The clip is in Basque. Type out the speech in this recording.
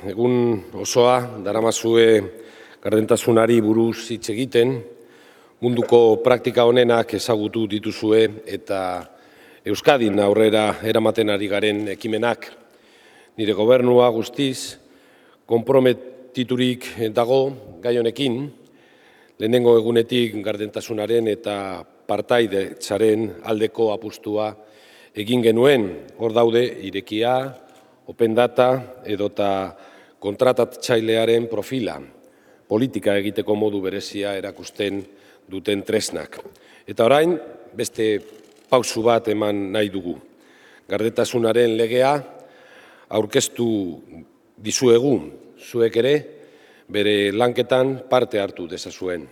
egun osoa daramazue gardentasunari buruz hitz egiten, munduko praktika honenak ezagutu dituzue eta Euskadin aurrera eramaten ari garen ekimenak. Nire gobernua guztiz konprometiturik dago gai honekin, lehenengo egunetik gardentasunaren eta partaidetzaren aldeko apustua egin genuen. Hor daude irekia, open data edota kontratatzailearen profila, politika egiteko modu berezia erakusten duten tresnak. Eta orain, beste pausu bat eman nahi dugu. Gardentasunaren legea aurkeztu dizuegu, zuek ere bere lanketan parte hartu dezazuen.